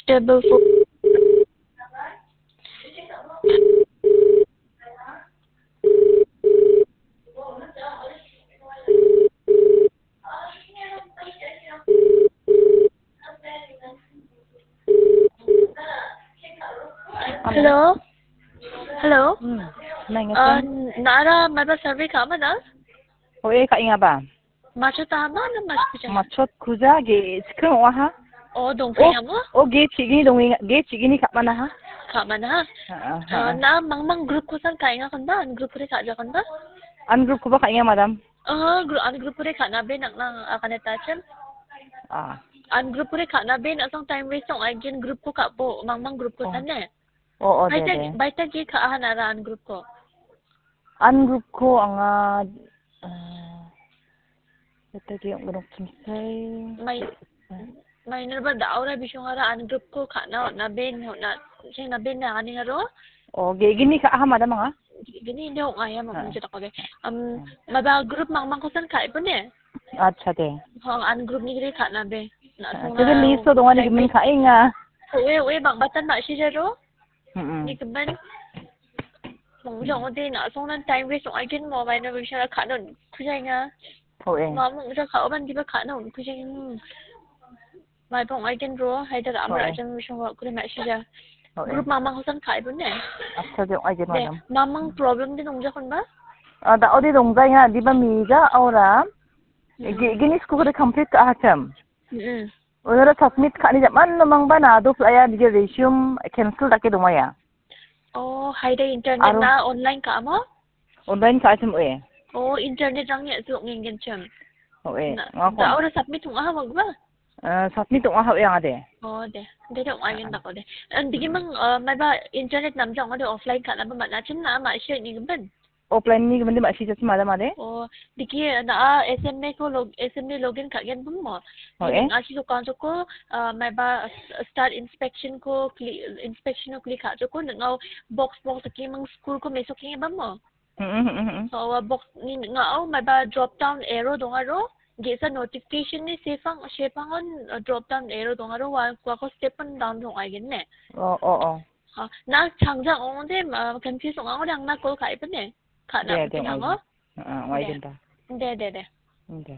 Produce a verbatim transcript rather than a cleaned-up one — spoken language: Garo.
Table four. Hello. Hello. Hmm. Nang Ah, ngatan? Nara maba survey ka mana? Oh, eh, ka inga ba? Machot ta ma na machot kuja? Machot kuja ge sikeng wa ha? Oh, dong Oh, kaya mo? Oh, ge chigini dong ge chigini ka mana ha? Ka mana ha? Ha, ha, ha. Ah, na mang mang group kosan ka inga kan ba? An group re ka ja kan ba? An group ko ba ka inga, madam? Ah, group, an group re ka na be nak lang akan ta chem. Ah. An group re ka na be nak sang time waste song ai gen group ko ka bo mang mang group ko Oh. San ne. Oh, oh, de, Baita, de. Baita ge ka aha nara an group ko. An group ko anga, eh, baita ge ong gnok chimsai. Mai, mai nerba da aura bisong ara an group ko ka na na ben na sing na ben na ani aro. Oh, ge gini ka aha madam anga? Gini de ong aya ma Ah. Mun jeta ko de. Am, Ah. Maba group mang mang kosan ka ipo ne? Acha de. Ho, an group ni gre ka na be. Na Ah, song te de na list to dong ani time gimin waste. Ka inga. Oe, oe, bang batan ba shi jaro. Mm-mm. Ni keban. Mong jong ode na song nan time waste ong ai gen mo mai na bishara ka non kujai nga. Ho, eh. Ma mong ja ka oban diba ka non kujai. Mai pong ai gen ro hai da amra Ho, eh. Ajang bishong wa kure ma shi ja. Ho, eh. Group mamang hosan ka ibun ne. Acha de ong ai gen De, madam. Mamang problem de nong ja kon ba? Ah, da ode dong jai nga diba mi ja aura. Mm. Ge-, gini school de complete ka hacham. Mm-mm. Onora submit ka·ani ja·man nomang ba na do playa dige resume cancel dake dongaya. Oh, haida internet Aro na online ka amo? Online ka·achim oe. Oh, internet rangni a·su ong·engenchim. Oe, Na, ngako. Da ora submit ong·aha magba? Eh, submit ong·aha oe angade. Oh, de. De, de, ong·agen Ah. Dako de. An digimang, eh, maiba internet namja ong·ade offline ka·naba man·achim na ma·sio ni gimben? Offline ni gimende ma·sijachim ada made? Oh, diki na a S M A ko log-, S M A login ka gen bun mo. Oh, eh? Ning asi lokal joko, ah, maiba s-, start inspection ko kli-, inspection ko klik ka joko ningau box box ki mang school ko meso ki bam mo. Hmm, hmm, hmm, hmm. So, ah, box ni ngau maiba drop down arrow dongaro, ge·sa notification ni sefang, sefangon, ah, drop down arrow dongaro, wa, wa ko step down dong ai gen ne. Oh, oh, oh. Ah, na changjang ong·ode, ah, confuse ong·a ong·ode, ang na call ka·e pine. Ka·na De, de, pine ong·ai. Amo? Ah, ong·ai De. Genta. De, de, de. De.